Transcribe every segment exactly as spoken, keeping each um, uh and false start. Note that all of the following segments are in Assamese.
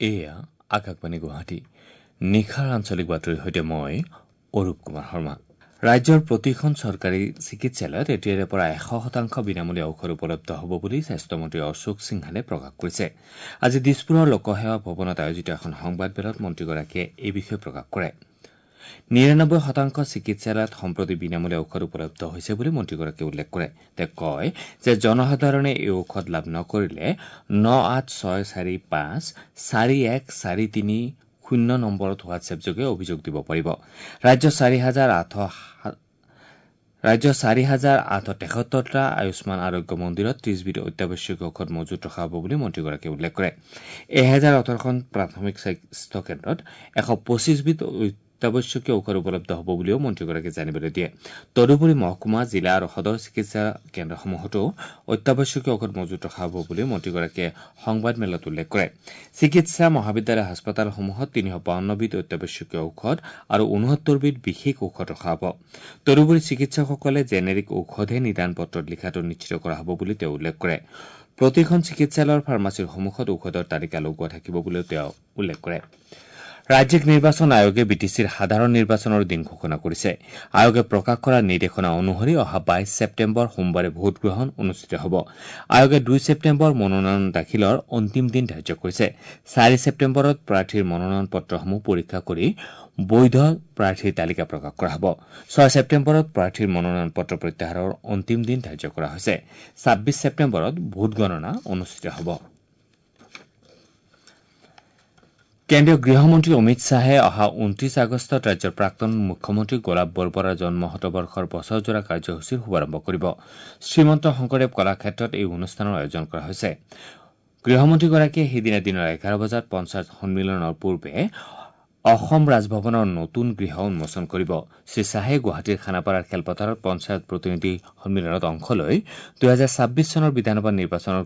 এয়া আকাশবাণী গুৱাহাটী। নিশাৰ আঞ্চলিক বাতৰিৰ সৈতে মই অৰূপ কুমাৰ শৰ্মা। ৰাজ্যৰ প্ৰতিখন চৰকাৰী চিকিৎসালয়ত এতিয়াৰে পৰা এশ শতাংশ বিনামূলীয়া ঔষধ উপলব্ধ হ'ব বুলি স্বাস্থ্যমন্ত্ৰী অশোক সিংহালে প্ৰকাশ কৰিছে। আজি দিছপুৰৰ লোকসেৱা ভৱনত আয়োজিত এখন সংবাদমেলত মন্ত্ৰীগৰাকীয়ে এই বিষয়ে প্ৰকাশ কৰে। নিৰানব্বৈ শতাংশ চিকিৎসালয়ত সম্প্ৰতি বিনামূলীয়া ঔষধ উপলব্ধ হৈছে বুলি মন্ত্ৰীগৰাকীয়ে উল্লেখ কৰে। তেওঁ কয় যে জনসাধাৰণে এই ঔষধ লাভ নকৰিলে ন আঠ ছয় চাৰি পাঁচ চাৰি এক চাৰি তিনি শূন্য নম্বৰত হোৱাটছএপযোগে অভিযোগ দিব পাৰিব। ৰাজ্যৰ চাৰি হাজাৰ আঠশ ৰাজ্যৰ চাৰি হাজাৰ আঠশ তেসত্তৰটা আয়ুষ্মান আৰোগ্য মন্দিৰত ত্ৰিশবিধ অত্যাৱশ্যকীয় ঔষধ মজুত ৰখা হ'ব বুলি মন্ত্ৰীগৰাকীয়ে উল্লেখ কৰে। এহেজাৰ ওঠৰখন প্ৰাথমিক স্বাস্থ্য কেন্দ্ৰত এশ পঁচিছবিধ অত্যাৱশ্যকীয় ঔষধ উপলব্ধ হ'ব বুলিও মন্ত্ৰীগৰাকীয়ে জানিবলৈ দিয়ে। তদুপৰি মহকুমা, জিলা আৰু সদৰ চিকিৎসা কেন্দ্ৰসমূহতো অত্যাৱশ্যকীয় ঔষধ মজুত ৰখা হ'ব বুলিও মন্ত্ৰীগৰাকীয়ে সংবাদমেলত উল্লেখ কৰে। চিকিৎসা মহাবিদ্যালয় হাস্পতালসমূহত তিনিশ বাৱন্নবিধ অত্যাৱশ্যকীয় ঔষধ আৰু ঊনসত্তৰবিধ বিশেষ ঔষধ ৰখা হ'ব। তদুপৰি চিকিৎসকসকলে জেনেৰিক ঔষধহে নিদান পত্ৰত লিখাটো নিশ্চিত কৰা হ'ব বুলি তেওঁ উল্লেখ কৰে। প্ৰতিখন চিকিৎসালয়ৰ ফাৰ্মাচীৰ সন্মুখত ঔষধৰ তালিকা লগোৱা থাকিব বুলিও তেওঁ উল্লেখ কৰে। ৰাজ্যিক নিৰ্বাচন আয়োগে বি টি চিৰ সাধাৰণ নিৰ্বাচনৰ দিন ঘোষণা কৰিছে। আয়োগে প্ৰকাশ কৰা নিৰ্দেশনা অনুসৰি অহা বাইশ ছেপ্টেম্বৰ সোমবাৰে ভোটগ্ৰহণ অনুষ্ঠিত হ'ব। আয়োগে দুই ছেপ্টেম্বৰ মনোনয়ন দাখিলৰ অন্তিম দিন ধাৰ্য কৰিছে। চাৰি ছেপ্টেম্বৰত প্ৰাৰ্থীৰ মনোনয়ন পত্ৰসমূহ পৰীক্ষা কৰি বৈধ প্ৰাৰ্থীৰ তালিকা প্ৰকাশ কৰা হ'ব। ছয় ছেপ্টেম্বৰত প্ৰাৰ্থীৰ মনোনয়ন পত্ৰ প্ৰত্যাহাৰৰ অন্তিম দিন ধাৰ্য কৰা হৈছে। ছাব্বিছ ছেপ্টেম্বৰত ভোটগণনা অনুষ্ঠিত হ'ব। কেন্দ্ৰীয় গৃহমন্ত্ৰী অমিত শ্বাহে অহা ঊনত্ৰিশ আগষ্টত ৰাজ্যৰ প্ৰাক্তন মুখ্যমন্ত্ৰী গোলাপ বৰবৰাৰ জন্ম শতবৰ্ষৰ বছৰজোৰা কাৰ্যসূচীৰ শুভাৰম্ভ কৰিব। শ্ৰীমন্ত শংকৰদেৱ কলাক্ষেত্ৰত এই অনুষ্ঠানৰ আয়োজন কৰা হৈছে। গৃহমন্ত্ৰীগৰাকীয়ে সেইদিনা দিনৰ এঘাৰ বজাত পঞ্চায়ত সন্মিলনৰ পূৰ্বে অসম ৰাজভৱনৰ নতুন গৃহ উন্মোচন কৰিব। শ্ৰীশ্বাহে গুৱাহাটীৰ খানাপাৰাৰ খেলপথাৰত পঞ্চায়ত প্ৰতিনিধি সন্মিলনত অংশ লৈ দুহেজাৰ ছাব্বিছ চনৰ বিধানসভা নিৰ্বাচনৰ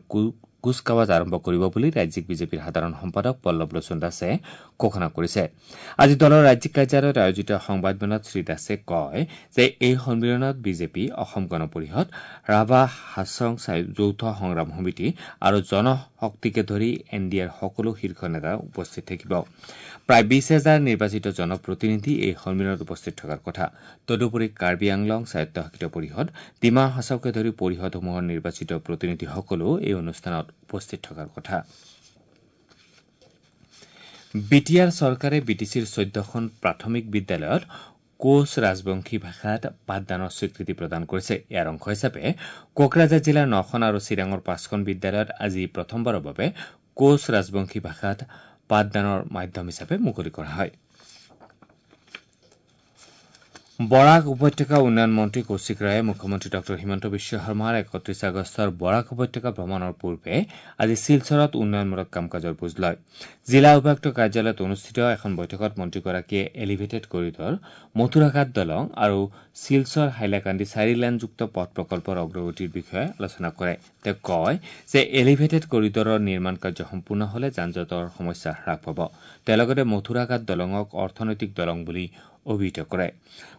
কুচকাৱাজ আৰম্ভ কৰিব বুলি ৰাজ্যিক বিজেপিৰ সাধাৰণ সম্পাদক পল্লৱ লোচন দাসে ঘোষণা কৰিছে। আজি দলৰ ৰাজ্যিক কাৰ্যালয়ত আয়োজিত সংবাদমেলত শ্ৰীদাসে কয় যে এই সন্মিলনত বিজেপি, অসম গণ পৰিষদ, ৰাভা হাছং যৌথ সংগ্ৰাম সমিতি আৰু জনশক্তিকে ধৰি এন ডি এৰ সকলো শীৰ্ষ নেতা উপস্থিত থাকিব। প্ৰায় বিশ হাজাৰ নিৰ্বাচিত জনপ্ৰতিনিধি এই সন্মিলনত উপস্থিত থকাৰ কথা। তদুপৰি কাৰ্বি আংলং স্বায়ত্তশাসিত পৰিষদ, ডিমা হাছাওকে ধৰি পৰিষদসমূহৰ নিৰ্বাচিত প্ৰতিনিধিসকলো এই অনুষ্ঠানত উপস্থিত থকাৰ কথা। বি টি আৰ চৰকাৰে বি টি চিৰ চৈধ্যখন প্ৰাথমিক বিদ্যালয়ত কোচ ৰাজবংশী ভাষাত পাঠদানৰ স্বীকৃতি প্ৰদান কৰিছে। ইয়াৰ অংশ হিচাপে কোকৰাঝাৰ জিলাৰ নখন আৰু চিৰাঙৰ পাঁচখন বিদ্যালয়ত আজি প্ৰথমবাৰৰ বাবে কোচ ৰাজবংশী ভাষাত পাঠদানৰ মাধ্যম হিচাপে মুকলি কৰা হয়। বৰাক উপত্যকা উন্নয়ন মন্ত্ৰী কৌশিক ৰায়ে মুখ্যমন্ত্ৰী ডঃ হিমন্ত বিশ্ব শৰ্মাৰ একত্ৰিশ আগষ্টৰ বৰাক উপত্যকা ভ্ৰমণৰ পূৰ্বে আজি শিলচৰত উন্নয়নমূলক কাম কাজৰ বুজ লয়। জিলা উপায়ুক্ত কাৰ্যালয়ত অনুষ্ঠিত এখন বৈঠকত মন্ত্ৰীগৰাকীয়ে এলিভেটেড কৰিডৰ, মথুৰাঘাট দলং আৰু শিলচৰ হাইলাকান্দি চাৰি লেনযুক্ত পথ প্ৰকল্পৰ অগ্ৰগতিৰ বিষয়ে আলোচনা কৰে। তেওঁ কয় যে এলিভেটেড কৰিডৰৰ নিৰ্মাণ কাৰ্য সম্পূৰ্ণ হলে যান জঁটৰ সমস্যা হ্ৰাস পাব। তেওঁ লগতে মথুৰাঘাট দলঙক অৰ্থনৈতিক দলং বুলি অভিহিত কৰে।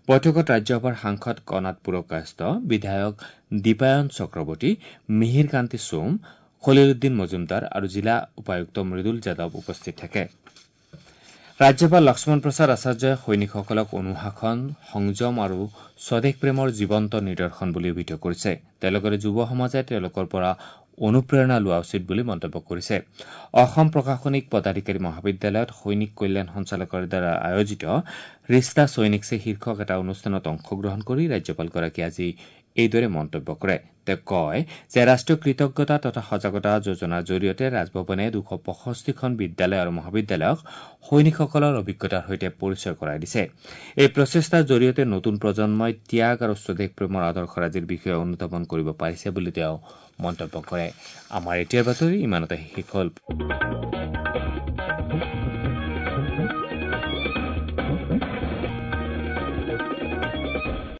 বৈঠকত ৰাজ্যসভাৰ সাংসদ কণাদ পুৰকায়স্থ, বিধায়ক দীপায়ন চক্ৰৱৰ্তী, মিহিৰ কান্তি সোম, খলিলুদ্দিন মজুমদাৰ আৰু জিলা উপায়ুক্ত মৃদুল যাদৱ উপস্থিত থাকে। ৰাজ্যপাল লক্ষ্মণ প্ৰসাদ আচাৰ্যই সৈনিকসকলক অনুশাসন, সংযম আৰু স্বদেশ প্ৰেমৰ জীৱন্ত নিদৰ্শন বুলি অভিহিত কৰিছে। তেওঁ লগতে যুৱ সমাজে তেওঁলোকৰ পৰা অনুপ্ৰেৰণা লোৱা উচিত বুলি মন্তব্য কৰিছে। অসম প্ৰশাসনিক পদাধিকাৰী মহাবিদ্যালয়ত সৈনিক কল্যাণ সঞ্চালকৰ দ্বাৰা আয়োজিত ৰিষ্টা সৈনিক চে শীৰ্ষক এটা অনুষ্ঠানত অংশগ্ৰহণ কৰি ৰাজ্যপালগৰাকীয়ে আজি এইদৰে মন্তব্য কৰে। তেওঁ কয় যে ৰাষ্ট্ৰীয় কৃতজ্ঞতা তথা সজাগতা যোজনাৰ জৰিয়তে ৰাজভৱনে দুশ পঁয়ষষ্ঠিখন বিদ্যালয় আৰু মহাবিদ্যালয়ক সৈনিকসকলৰ অভিজ্ঞতাৰ সৈতে পৰিচয় কৰাই দিছে। এই প্ৰচেষ্টাৰ জৰিয়তে নতুন প্ৰজন্মই ত্যাগ আৰু স্বদেশ প্ৰেমৰ আদৰ্শৰাজিৰ বিষয়ে অনুধাৱন কৰিব পাৰিছে বুলি তেওঁ মন্তব্য কৰে। আমাৰ এতিয়াৰ বাতৰি ইমানতে শেষ হ'ল।